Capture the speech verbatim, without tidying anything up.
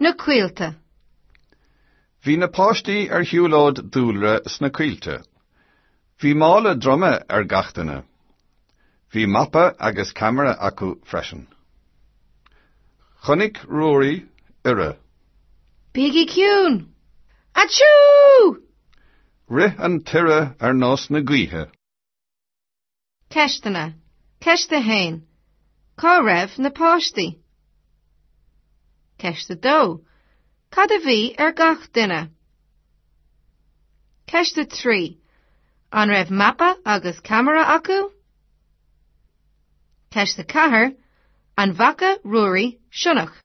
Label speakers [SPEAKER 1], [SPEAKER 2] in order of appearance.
[SPEAKER 1] Na coillte.
[SPEAKER 2] Bhí na páistí ar shiúlóid dúlra sna coillte. Bhí mála droma ar gach duine. Bhí mapa agus ceamara acu freisin. Chonaic Ruairí iora.
[SPEAKER 1] Bígí ciúin! Aitiú!
[SPEAKER 2] Rith an t-iora ar nós na gaoithe.
[SPEAKER 1] Ceisteanna. Ceist a haon. Cá raibh na páistí? Ceist a dó. Cad a bhí ar gach duine? Ceist a trí. An raibh mapa agus ceamara acu? Ceist a ceathair. An bhfaca Ruairí sionnach?